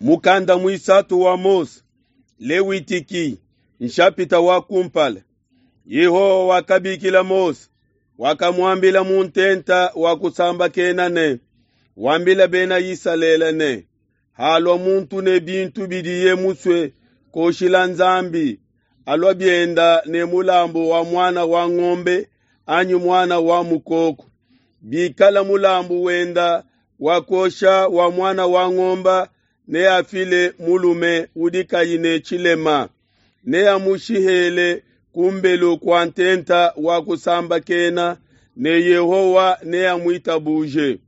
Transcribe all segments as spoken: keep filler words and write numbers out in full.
Mukanda muisatu wa Mose, Lewitiki, nshapita wa kumpala. Yehowa wakabikila Mose, wakamuambila mu ntenta wa kusambakena ne, wambila bena Isalele ne, halua muntu ne bintu bidiye musue koshila Nzambi, alua bienda ne mulambu wa muana wa ngombe anyi muana wa mukoko. Bikala mulambu wenda wa kuosha wa muana wa ngombe neafile mulume udi kayi ne tshilema, neamushihele ku mbelu kua ntenta wa kusambakena, ne Yehowa neamuitabuje.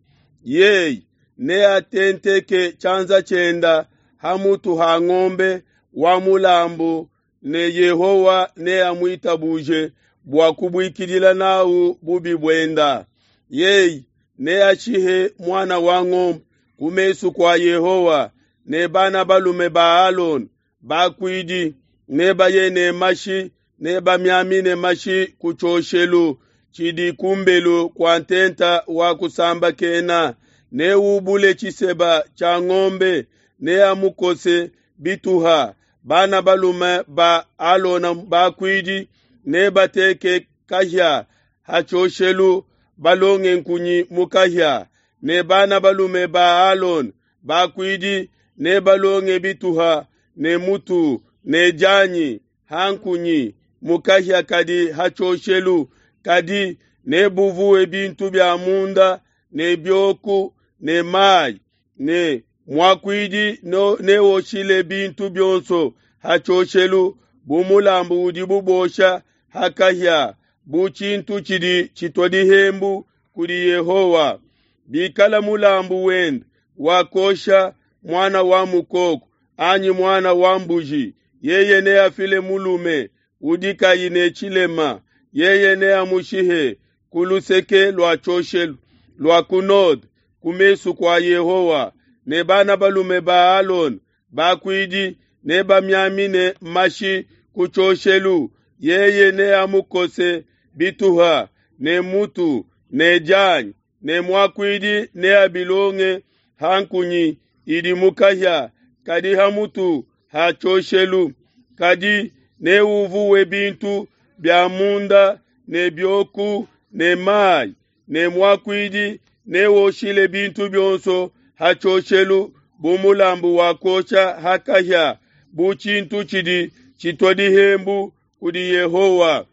Yeye neatenteke tshianza tshienda ha mutu ha ngombe wa mulambu, ne Yehowa neamuitabuje bua kubuikidila nawu bubi buenda. Yeye neashihe muana wa ngombe ku mesu kua Yehowa, ne bana balume ba Alona bakuidi nebaye ne mashi nebamiamine mashi ku tshioshelu tshidi ku mbelu kua ntenta wa kusambakena. Neubule tshiseba tshia ngombe, neamukose bituha. Bana balume ba Alona bakuidi nebateke kahia ha tshioshelu, balonge nkunyi mu kahia, ne bana balume ba Alona bakuidi nebalonge bituha ne mutu ne dianyi ha nkunyi mu kahia kadi ha tshioshelu, kadi nebuvuwe bintu bia munda ne bioku ne mayi, ne muakuidi neoshile bintu bionso ha tshioshelu bu mulambu udibu bosha ha kahia, bu tshintu tshidi tshitua dihembu kudi Yehowa. Bikala mulambu wenda wa kuosha muana wa mukoko anyi muana wa mbuji, yeye neafile mulume udi kayi ne tshilema, yeye neamushihe ku luseke lua tshioshelu lua ku node ku mesu kua Yehowa, ne bana balume ba Alona bakuidi nebamiamine mashi ku tshioshelu. Yeye neamukose bituha ne mutu ne dianyi, ne muakuidi neabilonge ha nkunyi idi mu kahia kadi ha mutu ha tshioshelu. Kadi neuvuwe bintu bia munda ne bioku ne mayi, ne muakuidi neoshile bintu bionso ha tshioshelu bu mulambu wa kuosha ha kahia, bu tshintu tshidi tshitua dihembu kudi Yehowa.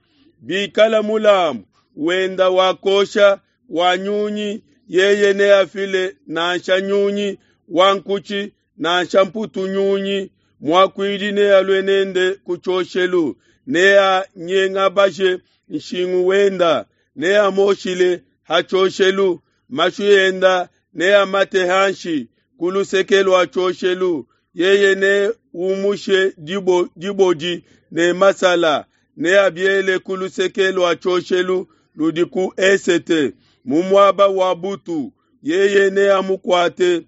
Bikala mulambu wenda wa kuosha wa nyunyi, yeye neafile nansha nyunyi wa nkutshi nansha mputu nyunyi. Muakuidi nealue nende ku tshioshelu, neanyengabashe nshingu wenda, neamoshile ha tshioshelu, mashi enda neamate hanshi ku luseke lua tshioshelu. Yeye neumushe dibo, dibodi ne masala, neabiele ku luseke lua tshioshelu ludi ku esete, mu muaba wa butu. Yeye neamukuate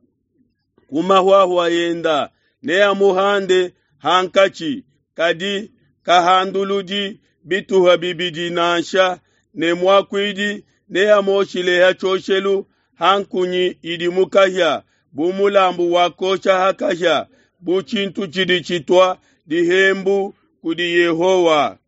ku mahuahua enda, neamuhande hankatshi, kadi kahanduludi bituha bibidi nansha, ne muakuidi neamoshile ha tshioshelu ha nkunyi idi mu kahia bu mulambu wa kuosha ha kahia, bu tshintu tshidi tshitua dihembu kudi Yehowa.